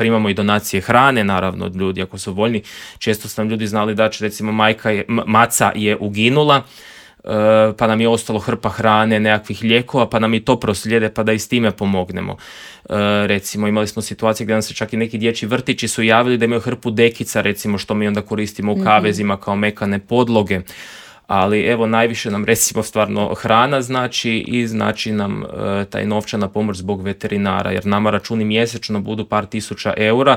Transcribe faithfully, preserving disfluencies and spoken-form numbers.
primamo i donacije hrane, naravno od ljudi ako su voljni. Često su nam ljudi znali da će, recimo, majka je, m- maca je uginula, e, pa nam je ostalo hrpa hrane, nekakvih lijekova, pa nam i to proslijede, pa da i s time pomognemo. E, recimo, imali smo situacije gdje nam se čak i neki dječji vrtići su javili da imaju hrpu dekica, recimo, što mi onda koristimo u Mhm. kavezima kao mekane podloge. Ali evo, najviše nam, recimo, stvarno hrana znači i znači nam e, taj novčana pomoć zbog veterinara, jer nama računi mjesečno budu par tisuća eura,